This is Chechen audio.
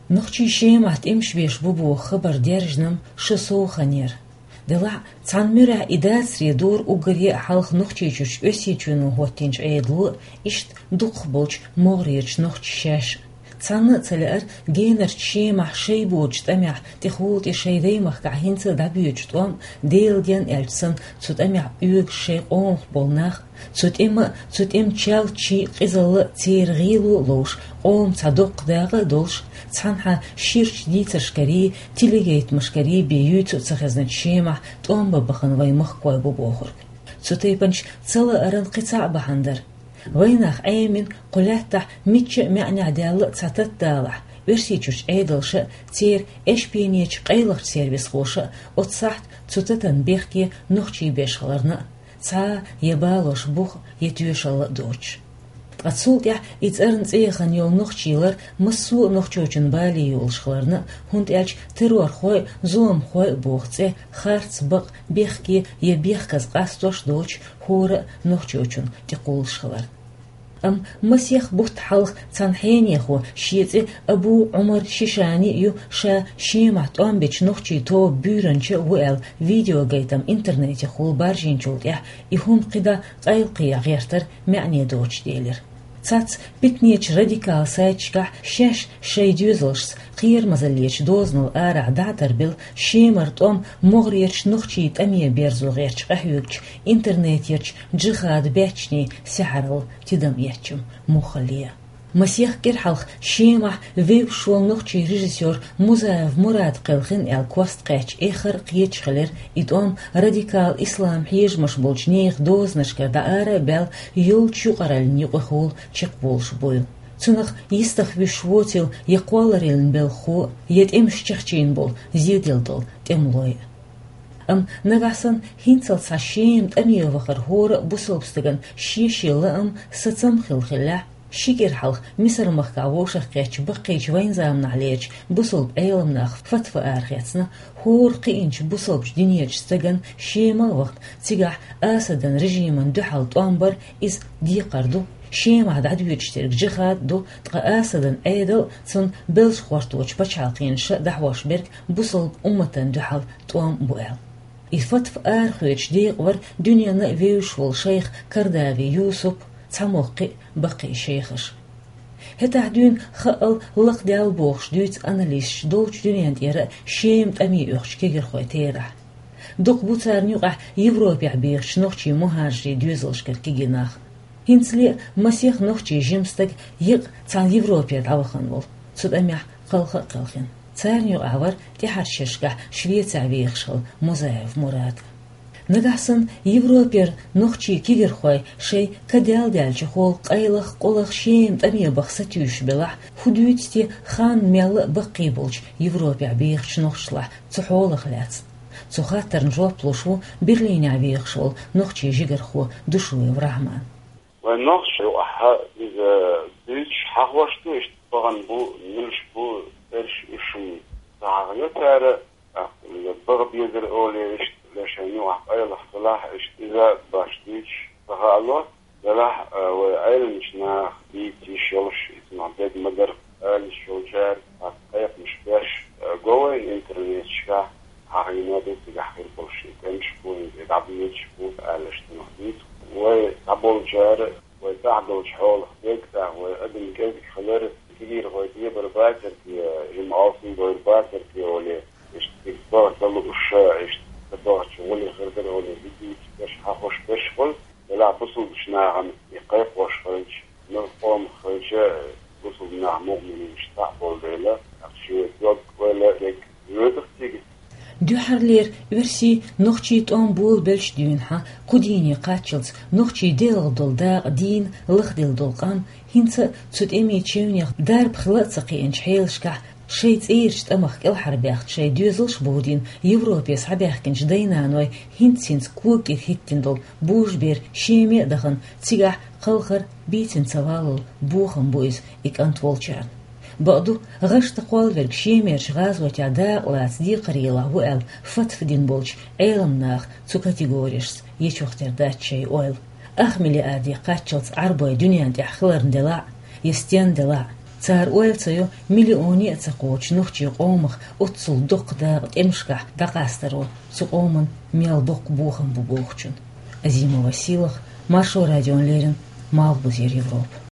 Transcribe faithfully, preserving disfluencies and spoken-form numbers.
Нохчий Шемахь тӀемаш беш бу боху хабар даьржина-м шо сов хан яра. Делахь а, цхьана муьрехь и дацаре дора уггаре а хьалха Нохчийчуьрчу Оьрсийчоьно хӀоттийначу Ӏедало а, иштта дукхахболчу могӀарерчу нохчаша шаьш а. Цхьанна а ца лаьара генарчу Шемахь шайн боцучу тӀамехь тӀехула тӀе шайн даймахкахь хӀинца а дӀабоьдучу тӀом а, Делан денна аьлча санна, цу тӀамехь оьгуш шайн къомах болу нах а, цу тӀеман а, цу тӀеман чалчийн а къизалла а церан гӀийло а ловш, къоман цхьа доккха дакъа а долуш, цхьанхьа ширачу дийцаршкарий, телегайтамашкарий бен юьйцу а ца хезначу Шемахь тӀом бан бахана вайн махкахой бу бохург. Цу тайпанчу цалааран кхин цхьаъ бахьана дара. Вайнах Ӏемина кху лаьттахь мичча а маьӀнехь даьлла а цхьа тата далахь, Оьрсийчуьрчу Ӏедалша а, церан эшпенечу къайлахчу сервисхоша а оцу сахьта цу татанна бехке нохчий беш хиларна а, цхьа а я балош бух а, я тоьшалла а доцуш. Ткъа цул тӀаьхьа и цӀарна цӀе яхана йолу нохчий лар массо а нохчочун бале йолуш хиларна а, хӀунда аьлча террорхой а, зуламхой а боху цӀе харц, бакъ, бехке я бехказа къастош доцуш хӀора а нохчочунна тӀекхуллуш хиларна. Амма масех бутт хьалха цхьана хьенехо, шен цӀе Абу Ӏумар Шишани а ю, ша Шемахь тӀом бечу нохчийн тоба буьйранча а ву аьлла, видеогайтам интернетехула баржийначул тӀаьхьа и хӀума кхидӀа къайлакхехьа гӀертар маьӀне доцуш делира. Цхьацца питанечу радикал сайташкахь шаьш шайн доьзалшца кхерамазаллечу дозанал арахь дӀа а тарбелла, Шемара тӀом могӀарерчу нохчийн тӀаме берзо гӀерташ къахьоьгучу интернетерчу джихад баьччанийн саьхьаралла тидам эцча-м муххале а. Масех кӀира хьалха Шемахь вевзаш волу нохчийн режиссёр Музаев Мурад кхелхина аьлла кост кхаьчча эххар а кхеташ хилира и тӀом радикал ислам хьежамаш болчу нехан дозанашкара дӀа ара а баьлла, йолчу юкъараллин юкъахула чекхболуш буйла. Цунах йистах вуьсуш воцийла я кхоллараллин белхахо а, я тӀемаш чекхчийна болу зеделла долу тӀемалой а. Амма нагахь санна хӀинццалц цхьа Шема тӀаме вахар хӀора а бусалба стагана шен-шен лаам, сацам хилла хиллехь, ши кӀира хьалха Мисар-махкахь вовшахкхеттачу баккхийчу вайн заманахьлерчу бусалба Ӏеламнаха фатва арахецна, хӀора кхиъначу бусалбачу динечу стагана Шема а вахана, цигахь Асадан режимана дуьхьал тӀом бар, иза декхар ду, Шемахь дӀадоьдуш дерг джихад а ду, ткъа Асадан Ӏедал а, цунна белшахӀотточу пачхьалкханаша а дӀахьош берг бусалба умматана дуьхьал тӀом а бу аьлла. И фатва арахоьцуш декъа вара дуьненна а вевзаш волу шайх Кардави Юсуп, цхьаммо кхин а баккхий шайхаш. ХӀетахь дуьйна хаъал лакхадаьлла бохуш дуьйцу аналисташа долчу дуьнен тӀера а Шема тӀаме оьхучу кегирхойн терахь. Дукха бу царна юкъахь Европехь бехачу нохчийн мухӀажарийн доьзалшкара кегий нах. ХӀинцале а масех нохчийн жима стаг екъа цхьана Европера дӀавахана волу, цу тӀамехь кхалха а кхелхина. Царна юкъахь вара тӀаьхьарчу шерашкахь Швецехь вехаш хилла Музаев Мурад. Нагахь санна Европера нохчийн кегирхой шайн ка даьлла даьллачу хьолах къайлаха, къулаха Шема тӀаме баха сатуьйсуш белахь, хӀун дуьйцу те ханна мелла а баккхий болчу Европехь бехачу нохчашлахь цу хьолах лаьцна? Цу хаттарна жоп луш ву Берлинехь вехаш волу нохчийн жигархо Душуев Рахьман. Вайн нохчашна юкъахь иза дуьйцуш хьахош ду, иштта бахана бу, муьлш бу, цӀераш, уьш-м ца хьахийо цара, тӀаккха иза баха безар олий, иштта ле шайна юкъахь къайлаха хилахь, иштта иза баш дуьйцуш ца хаало. Делахь а, вай Ӏеламчу наха дийца йиш йолуш, иза мах дерг ма дара, ала йиш йолчара, тӀаккха кхайкхамаш беш а го вайна интернеташкахь, хьахийна ду цигахь хир болуш и тӀемаш бу, хӀинца и дӀабоьдуш бу, аьлла, иштта мах дуьйцу. Вай дӀаболчара, вай тӀаьхьа долчу хьолах дерг тӀаккха, вай адам кӀезиг хилар, кегийрхой тӀебар бацара те, жима алсам бовр бацара те олий, иштта цига баха ца лууш, иштта ца бахча гӀуле хир дара олий, и дуьйцуш берш, хьахош берш хуьлу. Делахь бусалбачу нахана и кхайкхош хилча, муьлхха къомах хилча, бусалба нах мукъаманаш цхьаъ болу дела, тӀаккха шен дог ойла дерг воьдуш цига. Дуьххьарлера оьрсийн, нохчийн тӀом болабелча дуьйна хьан кху дийне кхаччалц нохчийн делахь долу дакъа дийна лахделла долу къам, хӀинца а цу тӀемийн чевнех дарба хила а ца кхиъначу хьелашкахь, шайн цӀерачу тӀамах кӀелхьарбаьхна шайн доьзалш а бовдийна, Европе схьабаьхкинчу дай-наной хӀинц-хӀинца кога кӀира хӀиттина долу божабер Шеме а дахана, цигахь кхалхар бийцина ца валлал бохам бу иза и кӀант волчарна. Бакъду, гӀаш ца кхоллаверг Шемерчу гӀазотехь дакъа лаца декхарийлахь ву аьлла фатва дина болчу Ӏеламнаха цу категорияшца ечух тера дац шайн ойла. Ах миллиарде кхаччалц Ӏарбой дуьнен тӀехь хиларна делахь а, я стенна делахь а, Цар ойла ца йо миллионе а ца кхочу нохчийн къомах оццул доккха дакъа тӀемашкахь дӀакъастаро цу къоман мел боккха бохам бу бохучун. Азимова Сийлаха, Маршо радиона леррина, Малхбузера Европа.